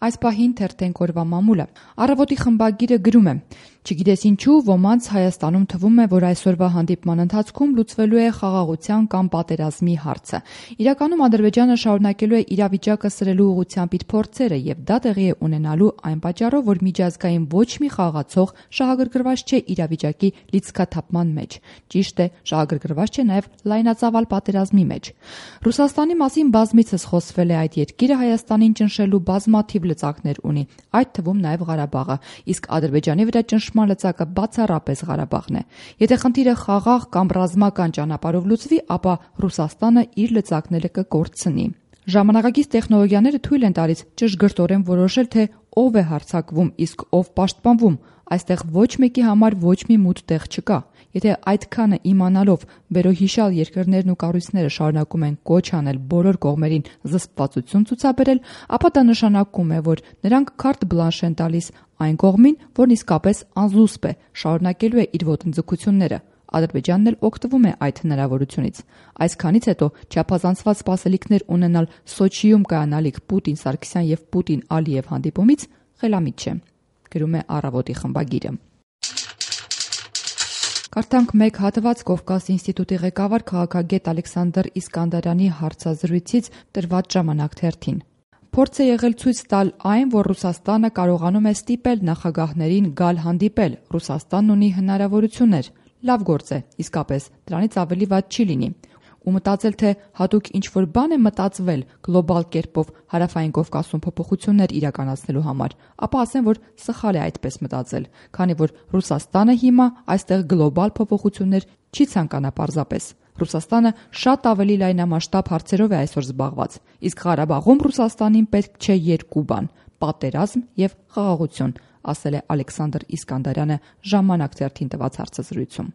Այս պահին թերթենք օրվա մամուլը։ Առավոտի խմբագիրը գրում է. «Չգիտես ինչու, ոմանց Հայաստանում թվում է, որ այսօրվա հանդիպման ընթացքում լուծվելու է խաղաղության կամ պատերազմի հարցը։ Իրականում Ադրբեջանը շարունակելու է իրավիճակը սրելու ուղղությամբ իր փորձերը եւ դա տեղի է ունենալու այն պատճառով, որ միջազգային ոչ մի խաղացող շահագրգռված չէ իրավիճակի լիցքաթափման մեջ։ Ճիշտ է, շահագրգռված չէ նաեւ լայնածավալ պատերազմի մեջ։ Ռուսաստանի մասին բազմիցս խոսվել է, այդ երկիրը Հայաստանին ճնշելու բազմաթիվ լծակներ ունի, այդ թվում նաև Ղարաբաղը, իսկ Ադրբեջանի վրա ճնշման լծակը բացառապես Ղարաբաղն է։ Եթե խնդիրը խաղաղ կամ ռազմական ճանապարհով լուծվի, ապա Ռուսաստանը իր լծակները կկորցնի։ Ժամանակակից տեխնոլոգիաները թույլ են տալիս ճշգրտորեն որոշել, թե ով է հարձակվում, իսկ ով պաշտպանվում։ Այստեղ ոչ մեկի համար ոչ մի մութ տեղ չկա։ Եթե այդքանը իմանալով վերոհիշյալ երկրներն ու կառույցները շարունակում են կոչ անել բոլոր կողմերին զսպվածություն ցուցաբերել, ապա դա նշանակում է, որ նրանք քարտ բլանշ են տալիս այն կողմին, որն իսկապես անզուսպ է, շարունակելու է իր ոտնձգությունները։ Ադրբեջանն էլ օգտվում է այդ հնարավորությունից։ Այսքանից հետո չափազանցված սպասելիքներ ունենալ Սոչիում կայանալիք Պուտին-Սարգսյան եւ Պուտին-Ալիև հանդիպումից խելամիտ չէ, գրում է Առավոտի խմբագիրը։ Կարդանք մեկ հատված Կովկաս ինստիտուտի ղեկավար քաղաքագետ Ալեքսանդր Իսկանդարյանի հարցազրույցից տրված Ժամանակ թերթին։ Փորձ է եղել ցույց տալ այն, որ Ռուսաստանը կարողանում է ստիպել նախագահներին գալ հանդիպել։ Ռուսաստանն ունի հնարավորություններ։ Լավ գործ է, իսկապես, դրանից ավելի վատ չի լինի։ Ու մտածել, թե հատուկ ինչ-որ բան է մտածվել գլոբալ կերպով Հարավային Կովկասում փոփոխություններ իրականացնելու համար, ապա ասեմ, որ սխալ է այդպես մտածել, քանի որ Ռուսաստանը հիմա այստեղ գլոբալ փոփոխություններ չի ցանկանա պարզապես։ Ռուսաստանը շատ ավելի լայնամասշտաբ հարցերով է այսօր զբաղված, իսկ Ղարաբաղում Ռուսաստանին պետք չէ երկու բան՝ պատերազմ եւ խաղաղություն, ասել է Ալեքսանդր Իսկանդարյանը Ժամանակ թերթին տված հարցազրույցում։